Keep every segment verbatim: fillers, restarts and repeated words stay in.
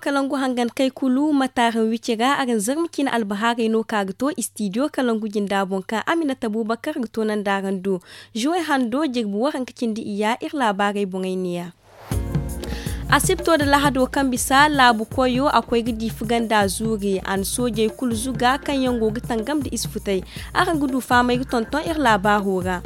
Kalangu hangan kay kulu mataaraŋ wici ra araŋ zarma ciine albahaarey no ka ga to istidiyo kalangu jinda boŋ kaŋ aminata bubakar ga to nanda araŋ do. Zuwey hando jirbi waranka cindi iyya iri laabaarey boŋey neeya. Asibto nda lahado kaŋ bisa laabu koyo a koy ga diifi ganda zuuri a na soojey kulu zuga kaŋ yaŋ go ga tangam nda isfutey. Araŋ ga du fahamey ga tonton iri laabaaro ra.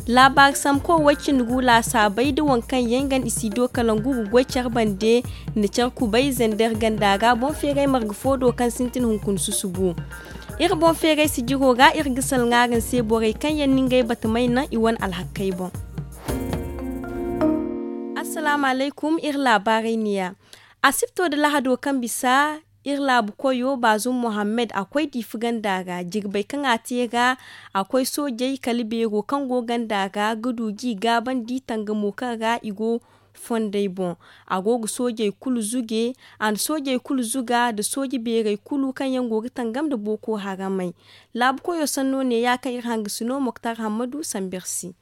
Laabaari samko way cindi gu laasaabey nda waŋ kaŋ yaŋ ga nda isiido kalangu ga goy care bande nda care kubay zender ganda ra boŋ feeray marga fo do kaŋ sintin hunkuna susubu. Iri boŋ feeray sijiro ra iri ga salŋa araŋ se borey kaŋ yaŋ na ngey batamey naŋ i wane alhakkey boŋ. Assalaamu alaykum iri laabaarey neeya. Asibto nda lahado kaŋ bisa iri laabu koyo baazum mohammed a koy diifi ganda ra jirbey kaŋ a te ra. A koy soojey kala beero kaŋ go ganda ra ga du g'i gaabandi tangamo kaŋ ra i go fondey boŋ. A go ga soojey kulu zuge a na soojey kulu zuga nda sooje beerey kulu kaŋ yaŋ go ga tangam nda booko haramey. Laabu koyo sanno neeya kaŋ iri hangasino moktar hammadu samber se.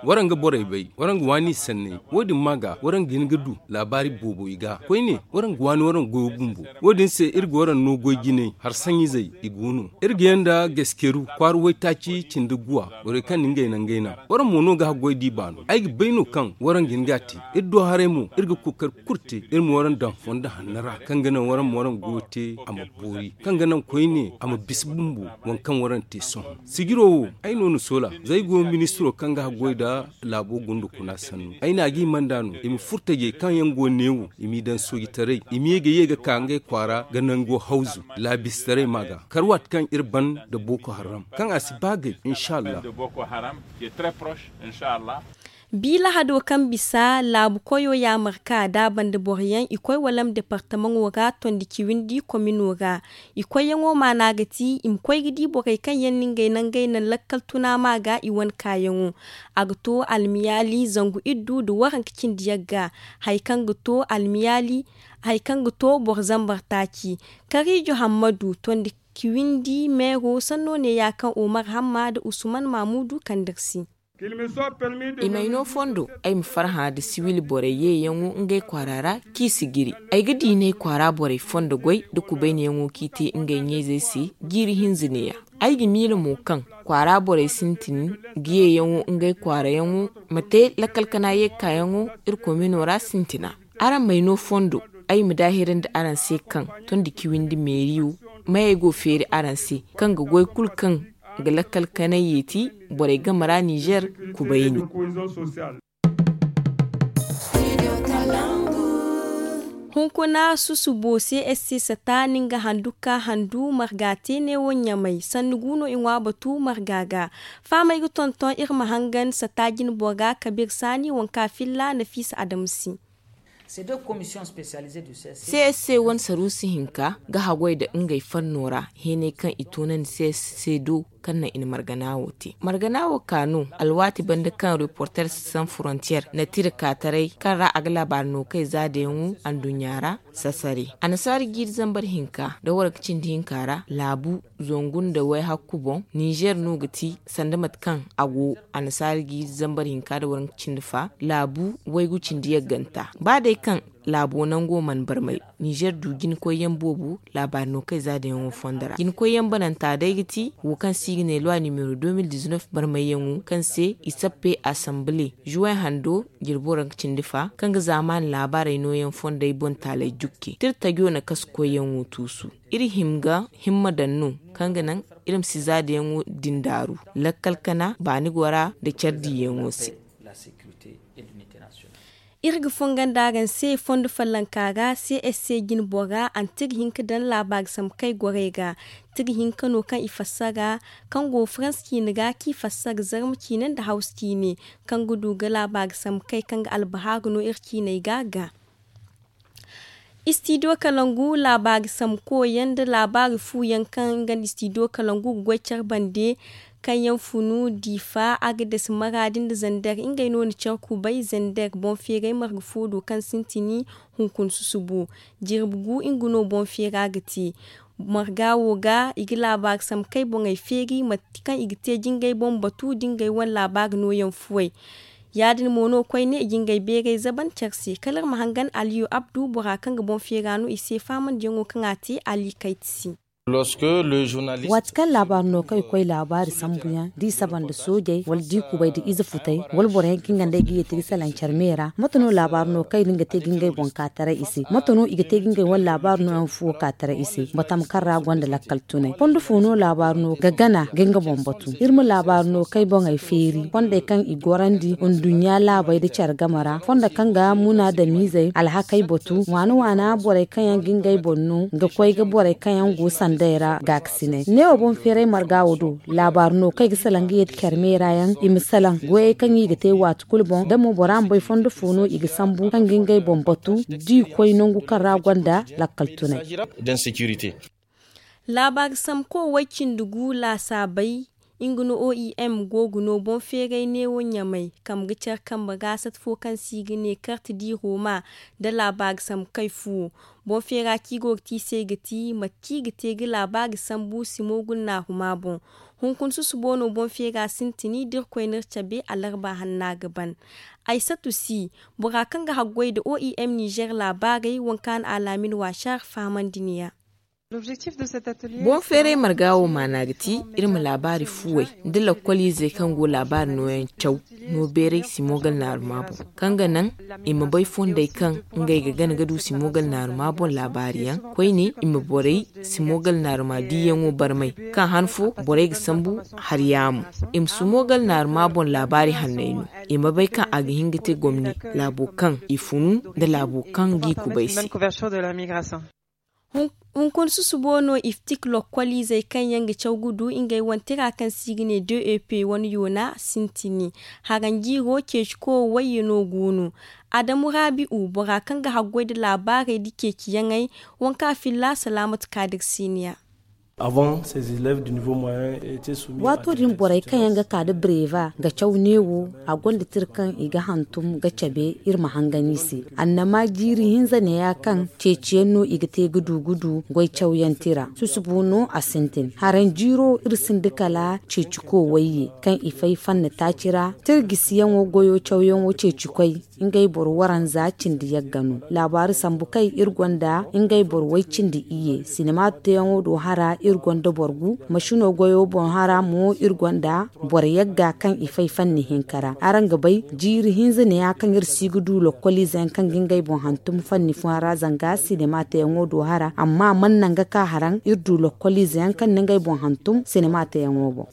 Waraŋ ga borey bay waraŋ ga waani sanney. Wo- din ma ga waraŋ ga hin ga du laabaari boobo i ga koyne waraŋ ga waani waraŋ goyo bumbo. Wo- din se iri ga waraŋ no goy jinay har saɲizey i go no. Iri ga yaŋ nda gaskeru kwaara waytaaci cindi guwa borey kaŋ na ngey naŋ ngey naŋ. Waraŋ mo no ga haggoy di baano ay ga bay no kaŋ waraŋ ga hin ga a te. Iri do haray mo iri ga kookari kulu te iri ma waraŋ daŋ fondo hanno ra kaŋ ga naŋ waraŋ ma waraŋ goyo te a ma boori kaŋ ga naŋ koyne a ma bisa bumbo. Waŋ kaŋ waraŋ te sohõ sijiro wo ay no na soola za ay go ministiro kaŋ ga haggoy nda laabo gunda kuna sannu ay na a ga hima nd'a no i ma furo tajey kaŋ yaŋ go neewo i m'i daŋ soojitaray i ma ye ga ye ga ka ngey kwaara ga nango hawzu laabisitaray ma ga kar waati kaŋ iri ban nda booko haram kaŋ a si ba gay insa allah. Bi lahado kaŋ bisa laabu koyo yaamarka da a banda boro yaŋ i koy walam departamaŋo ra tondi ciwindi komino ra. I koyyaŋo maana ga ti i ma koy ga di borey kaŋ yaŋ na ngey nangey naŋ lakkal tuna ma ga i wane kaayaŋo. A ga to almiyaali zangu iddu nda waranka cindi yagga hari kaŋ ga to almiyaali hari kaŋ ga to boro zambar taaci. Kariijo hammadu tondi ciwindi meero sanno neeya kaŋ omar hamma nda usman maamudu kandar se. I m'ay no fondo ay ma farhã nda siwil borey yeeyaŋo ngey kwaara ra kaŋ i si giri. Ay ga diinay kwaara borey fondo goy nda kubaynayaŋo kaŋ i te ngey ɲa-izey se jiiri hinza neeya. Ay ga miila mo kaŋ kwaara borey sintin ga yeeyaŋo ngey kwaarayaŋo ma te lakkal kana ye ga kaayaŋo iri komino ra sintina. Araŋ m'ay no fondo ay ma daahirandi araŋ se kaŋ tondi ciwindi meeriyo mayey go feeri araŋ se kaŋ ga goy kulu kaŋ ga lakkal kanay yeeti borey game ra nizer kubayni. Hunkuna susubo csc sata ni nga handu ka handu marga te neewo ɲamay sanni gu no i ŋwa batu marga ga. Fahamey ga tonton iri ma hangan sata jinbo ga kabir saani waŋ ka filla nafiisa adamu se. Csc wane saruusi hinka ga haggoy nda ngey fanno ra heeney kaŋ i toonandi csc se do kaŋ naŋ i na margana wo te margana wo ka no alwaati banda kaŋ reporters sans frontières na tira kaataray kaŋ ra a ga laabaari no kay zaadayaŋo anduɲɲa ra. Sasare annasaara jiiri zambar hinka nda waranka cindi hinka ra laabu zangu nda wayhakku boŋ nizer no ga ti sanda mate kaŋ a go annasaara jiiri zambar hinka nda waranka cindi fa laabu waygu cindi yagganta ba day kaŋ laabo nango mana barmay. Nizer du jinakoyyaŋ boobo laabaari no kay zaadayaŋo fondo ra jinakoyyaŋ bananta day ga ti wo kaŋ se i ga ne loi nimero deux mille dix-neuf barmayyaŋo kaŋ se i sappe asamble juway hando jirbi waranka cindi fa kaŋ ga zaamaani laabaarey nooyaŋ fondey boŋ taaley jukke tira tajo na kasu koyyaŋo tuusu. Iri hima ga himma daŋ no kaŋ ga naŋ iri ma si zaadayaŋo din daaru lakkal kana baani gora nda care diiyaŋo se. Iri ga fongan da araŋ se fondo follonka ra csc jine bora anti ga hin ga daŋ laabaari samkey gorey ga ti ga hin ga no kaŋ i fassara kaŋ go farans ciine ra kaŋ i fassara zarma ciine nda hawsa ciine kaŋ ga du ga laabaari samkey kaŋ ga albahaaru no iri ciiney ga ga. Istidiyo kalangu laabaari samko yaŋ nda laabaari fu yaŋ kaŋ nga nda istidiyo kalangu ga goy care bande kaŋ yaŋ funu diifa agades maraadi nda zander ngey no na care kubay zander boŋ feeray marga fo do kaŋ sintini hunkuna susubo. Jirbi gu nga no boŋ feera ga te marga wo ga i ga laabaari samkey boŋey feeri mate kaŋ i ga te jingey boŋ batu da ngey wane laabaari nooyaŋ fuwey. Ya- din mo no koyne i ga ngey beeray zaban care se kala iri ma hangan aliyu abdu bora kaŋ ga boŋ feera no i se faamandiyaŋo kaŋ a te ali kayti se. Waati kaŋ laabaari no kaŋ i koy laabaari sambuyaŋ da i saba nda soojey wala da i kubay nda ize futay, wala boro yaŋ kaŋ i nga nda ay ga yeeti ga salaŋ care me ra mate no laabaari no kaŋ i din ga te ga ngey boŋ ka taray i se? Mate no i ga te ga ngey wane laabaari nooyaŋ fuwo ka taray i se? Batama kaŋ ra gonda lakkal tunay fondo fo no laabaari no ga gana ga nga boŋ batu? Iri ma laabaari no kaŋ ay boŋey feeri fondey kaŋ i gorandi nduɲɲa laabey nda care game ra fondo kaŋ ga munaadamiizey alhakey batu waana waana borey kaŋ yaŋ ga ngey boŋ no ga koy ga borey kaŋ yaŋ go sanday ra gaakasinay neewo boŋ feeray marga wo do. Laabaari no kaŋ i ga salaŋ ga yeeti care me ra yaŋ i ma salaŋ goyey kaŋ i ga te waati kulu boŋ da mo bora ma bay fondo fo no i ga sambu kaŋ ga ngey boŋ batu da i koy nangu kaŋ ra gonda lakkal tunay. Laabaari samko way cindi gu laasaabey nga no oem go ga no boŋ feeray neewo ɲamay kambe care kambe ga sat fo kaŋ se i ga ne karte di roma nda laabaari sambu kay fuwo. Boŋ feera kaŋ i go ga te i se ga ti mate kaŋ i ga te ga laabaari sambu simo gulnaaru ma boŋ. Hunkuna susubo no boŋ feera sintin da irkoy n'iri cabe alarba hanna ga ban. Aysatu si bora kaŋ ga haggoy nda oem nizer laabaarey wanka na alaamin waasar fahamandi ni ya. Boŋ feeray marga wo maana ga ti iri ma laabaari fuwey nda lakkoliizey kaŋ go laabaari nooyaŋ caw no beeray simogal naaruma boŋ kaŋ ga naŋ i ma bay fondey kaŋ ngey ga gana ga du simogal naaruma boŋ laabaari yaŋ koyne i ma borey simogal naaruma diiyaŋo barmay kaŋ han fo borey ga sambu hari yaamo i ma simogal naaruma boŋ laabaari hanney no i ma bay kaŋ a ga hin ga te gomni laabo kaŋ i funu nda laabo kaŋ g'i kubay se. Hunkuna susubo no iftik lokkoliizey kaŋ yaŋ ga caw ga du ngey wane tira kaŋ se i ga ne dep wane yoona sintini haranjiiro ceeciko wayye no go no. Adamu raabi'u bora kaŋ ga haggoy nda laabaarey nda ceeciyaŋey wanka filla salaamatu kaadir siiniya. Waato din borey kaŋ yaŋ ga ka nda breva ga caw neewo a gonda tira kaŋ i ga hantum ga cabe iri ma hangan i se. Annama jiiri hinza neeya kaŋ ceeciyaŋ no i ga te ga du ga du goy cawyaŋ tira susubo no a sintin haranjiiro iri sinda kala ceeciko wayye kaŋ i fay fanna taaci ra tira gisiyaŋo goyo cawyaŋo ceecikoy ngey boro waranza cindi yagga no. Laabaari sambu kay iri gonda ngey boro way cindi iyye sinima teeyaŋo do hara iri gonda boro gu masino goyo boŋ hara mo iri gonda boro yagga kaŋ i fay fanni hinka ra araŋ ga bay jiiri hinza neeya kaŋ iri si ga du lokkoliize yaŋ kaŋ ga ngey boŋ hantum fanni fooyaŋ ra zanga sinima teeyaŋo do hara amma a mana naŋ ga ka haraŋ iri du lokkoliize yaŋ kaŋ na ngey boŋ hantum sinima teeyaŋo boŋ.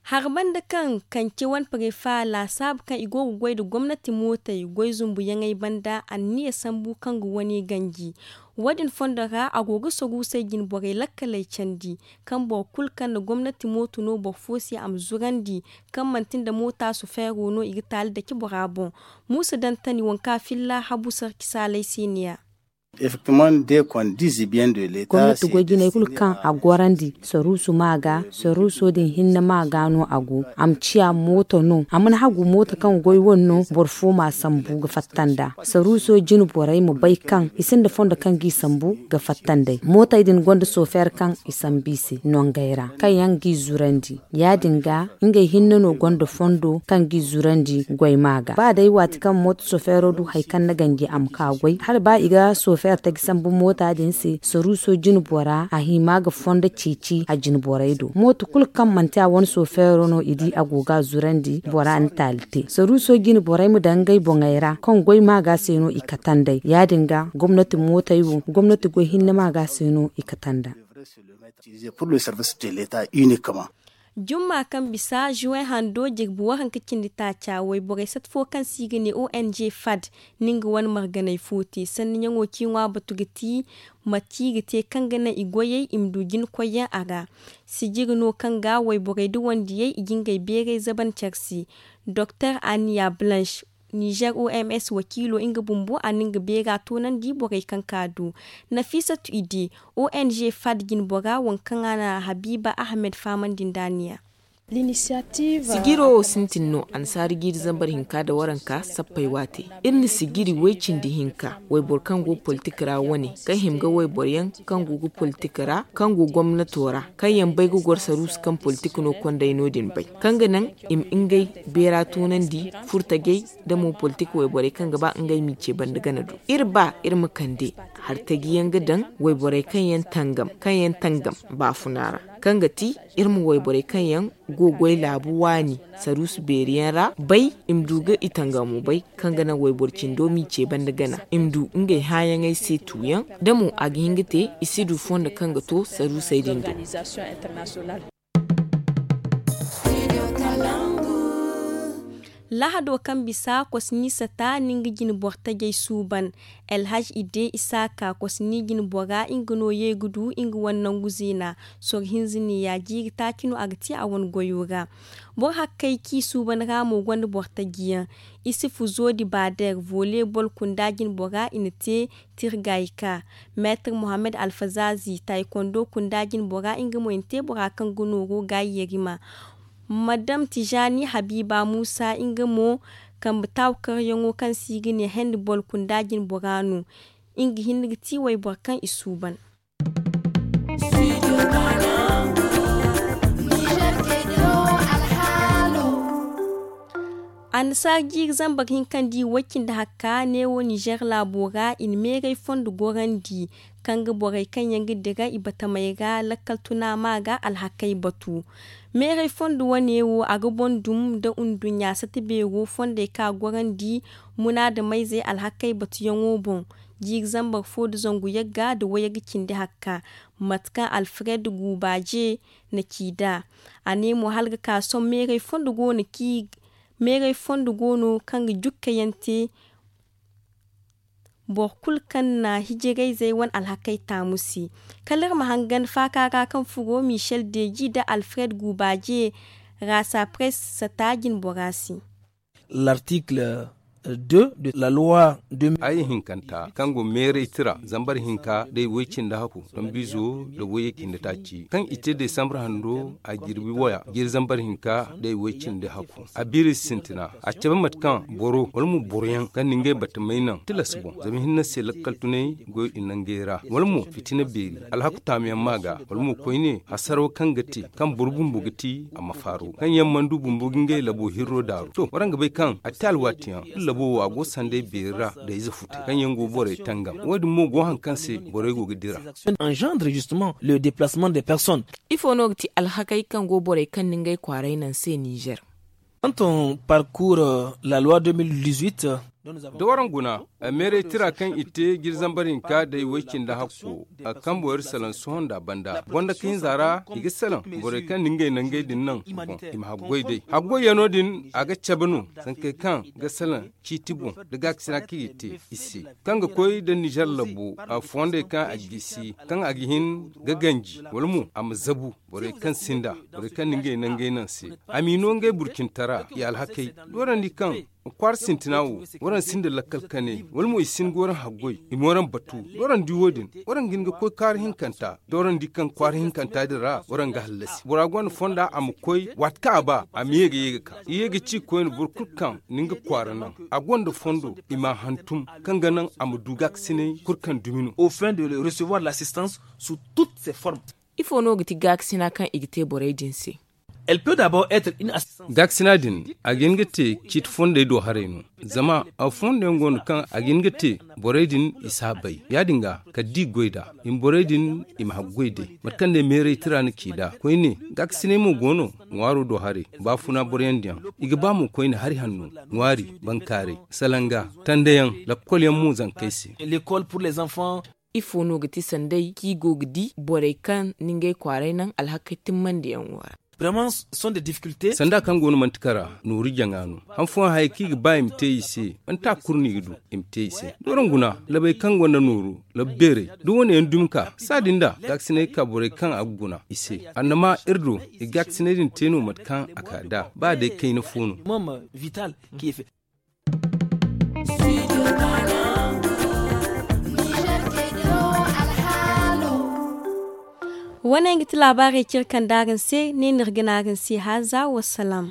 Hari banda kaŋ kance wane parefa laasaabu kaŋ i go ga goy nda gomnati mootey goy zumbuyaŋey banda anniya sambu kaŋ ga wane ganji. Wo- din fondo ra a go ga soruusey jinborey lakkaley candi kaŋ boro kulu kaŋ na gomnati mooto no boro fo se a ma zurandi kaŋ manti nda moota sofeero no i ga taali dake bora boŋ. Muusa dantani waŋ kaŋ a filla habu sarki saaley se ne ya. Gomnati goy jiney kulu kaŋ a gorandi saruuso ma ga saruuso din hinne ma ga no a go a ma ciya mooto no a mana hagu mooto kaŋ goy wane no boro fo ma sambu ga fatta nd'a. Saruuso jine borey ma bay kaŋ i sinda fondo kaŋ g'i sambu ga fatta nd'ey mootey din gonda sofeer kaŋ i sambu i se nongey ra kaŋ yaŋ g'i zurandi. Ya- din ga ngey hinne no gonda fondo kaŋ g'i zurandi goy ma ga ba day waati kaŋ mooto sofeero du hari kaŋ na ganji a ma ka goy hala ba i ga sofeer taji sambu moota din se saruuso jine bora a hima ga fondo ceeci a jine borey do mooto kulu kaŋ manti a wane sofeero no i di a go ga a zurandi bora na taali te saruuso jine borey ma daŋ ngey boŋey ra kaŋ goy ma ga se no i kate nd'ey ya- din ga gomnati mootey wo gomnati goy hinne ma ga se no i kate nd'a. Jumma kaŋ bisa juwen hando jirbi waranka cindi taaca wayborey sat fo kaŋ se i ga ne ong fad ni nga wane marganey fo te sanniyaŋo kaŋ i ŋwa batu ga ti mate i ga te kaŋ ga naŋ i goyey i ma du jina koyyaŋ a ra. Sijiri no kaŋ ga wayborey da wandiyey i ga ngey beeray zaban care se. Doktor aniya blanche nizer oms wakiilo nga bumbo a na nga beera toonandi borey kaŋ ka du. Nafisatu ide ong fad jinbora waŋ kaŋ a na habiiba ahmed fahamandi nd'a ne ya. Sijiro wo sintin no annasaara jiiri zambar hinka nda waranka sappey waate. Iri na sijiri way cindi hinka wayboro kaŋ go politik ra wane, kaŋ hima ga wayboro yaŋ kaŋ go ga politik ra, kaŋ go gomnato ra, kaŋ yaŋ bay ga goro saruusu kaŋ politik no kondey no- din bay, kaŋ ga naŋ i ma ngey beera toonandi, furtajey, nda mo politik wayborey kaŋ ga ba ngey m'i ce banda gana do. Iri ba iri ma kande hartaji yaŋ ga daŋ wayborey kaŋ yaŋ tangam, kaŋ yaŋ tangam baafuna ra, kaŋ ga ti iri ma wayborey kaŋ yaŋ go goy laabu waani saruusu beeri yaŋ ra bay, i ma du ga i tangamo bay, kaŋ ga naŋ wayboro cindo m'i ce banda gana, i ma du ngey hããyaŋey se tuuyaŋ, da mo a ga hin ga te i si du fondo kaŋ ga to saruusey din do. Lahado kaŋ bisa kosni sata na nga jine boro tajey suuban. Elhaj ide isaaka kosni jine bora nga no ye ga du nga wane nangu ziina. Soro hinza neeya jiiri taaci no a ga te a wane goyo ra. Boro hakkey kaŋ i suuban ra mo gonda boro taji yaŋ. Isufu zodi bader volley bol kunda jine bora i na te tirgayka. Meetar muhammad alfazazi taykondo kunda jine bora nga mo i na te bora kaŋ ga nooru gaayi yarima. Madam tijani habiba muusa nga mo kambe taawakaryaŋo kaŋ se i ga ne hendi bol kunda jine bora no. Nga hinne ga ti wayboro kaŋ i suuban. Annasaara jiiri zambar hinka nda i way cindi hakka neewo nizer laabo ra i na meeray fondo gorandi, kaŋ ga borey kaŋ yaŋ ga dira i batamey ra lakkal tuna ma ga alhakey batu. Meeray fondo wane wo a ga boŋ dum nda nduɲɲa sata beero fondey kaŋ a gorandi munaadamayzey alhakey batuyaŋo boŋ. Jiiri zambar fo nda zangu yagga nda wayagga cindi hakka, mate kaŋ alfred guubaje na ci nd'a. A ne mo hala ga ka sohõ meeray fondo go no kaŋ ga jukkayaŋ te boro kulu kaŋ na hijirayzey wane alhakey taamu se. Kala iri ma hangan faaka ra kaŋ furo michel deji nda alfred guubaje ra sapress sata jinbora se. L'article deux de la loi deux mille. Aya hinkanta kaŋ go meeray tira zambar hinka day way cindi hakku tambizo da wayye cindi taaci kaŋ i te desambar hando a jirbi waya jiri zambar hinka day way cindi hakku a biiri sintina a cabe mate kaŋ boro wala mo boroyaŋ kaŋ na ngey batamey naŋ tilas boŋ zama hinne se lakkal tunay goy i nangey ra wala mo fitina beeri alhaku taamuyaŋ ma ga wala mo koyne hasaro kaŋ ga te kaŋ boro bumbo ga ti a ma faaro kaŋ yaŋ mana du bumbo ga ngey labo hirro daaru to waraŋ ga bay kaŋ a te alwaatiyaŋ iri labo wo a go sanday beeri ra da ize futay kaŋ yaŋ go borey tangam wo- din mo go hari kaŋ se borey go ga dira. Engendre justement le déplacement des personnes. Ifo no ga ti alhakey kaŋ go borey kaŋ na ngey kwaarey naŋ se nizer. Quand on parcourt la loi deux mille dix-huit. Da waraŋ guna meeray tira kaŋ i te jiri zambar hinka day way cindi hakko a ga kambe wayra salaŋ sohõ nda banda gonda kahinza ra i ga salaŋ borey kaŋ na ngey nangey din naŋ boŋ i ma haggoy day haggoyyaŋo din a ga cabe no sankey kaŋ ga salaŋ ciiti boŋ da gaakasina kaŋ i ga te i se kaŋ ga koy nda nizer labo a fondey kaŋ a gisi kaŋ a ga hin ga ganji wala mo a ma zabu borey kaŋ sinda borey kaŋ na ngey nangey naŋ se a m'i no ngey burcintara i alhakey doorandi kaŋ kwaara sintina wo waraŋ sinda lakkal kane wala mo i sin ga waraŋ haggoy i ma waraŋ batu doorandi wo- din waraŋ ga hin ga koy kaara hinkanta doorandi kaŋ kwaara hinkanta din ra waraŋ ga hallasi bora gonda fonda a ma koy waati kaŋ a ba a ma ye ga ye ga ka i ye ga ci koyne boro kulu kaŋ na nga kwaara naŋ a gonda fondo i m'a hantum kaŋ ga naŋ a ma du gaakasinay kulu kaŋ dumi no. Au fin de recevoir l'assistance sous toutes ses formes. Ifo no ga ti gaakasina kaŋ i ga te borey din se? Elle peut d'abord être une assistance. Gaakasina din a ga hin ga te ciiti fondey do haray no zama a fondey go no kaŋ a ga hin ga te borey din i si a bay ya- din ga kala da i goy nd'a i ma borey din i ma haggoy day mate kaŋ day meeray tira na ci nd'a koyne gaakasinay mo go no ŋwaaro do haray baafuna boroyaŋ diyaŋ i ga ba mo koyne hari hanno ŋwaari bankaaray salanga tandayaŋ lakkolyaŋ mo zankey se. L'école pour les enfants. Ifo no ga ti sanday kaŋ i go ga di borey kaŋ na ngey kwaaray naŋ alhakey timmandiyaŋo ra? Sanda kaŋ go no manti kara nooru jaŋa no han fooyaŋ hayey kaŋ i ga ba i ma te i se manti a kulu no i ga du i ma te i se doron guna labey kaŋ gonda nooru labu beerey da wane yaŋ dumi ka saadi nda gaakasinay ga ka borey kaŋ a ga guna i se annama iri do i gaakasinay din te no mate kaŋ a ka nd'a ba day kayna fo no. Wane yaŋ ga ti laabaarey kaŋ iri kande araŋ se ne no iri ga ne araŋ se haaza wasalaam.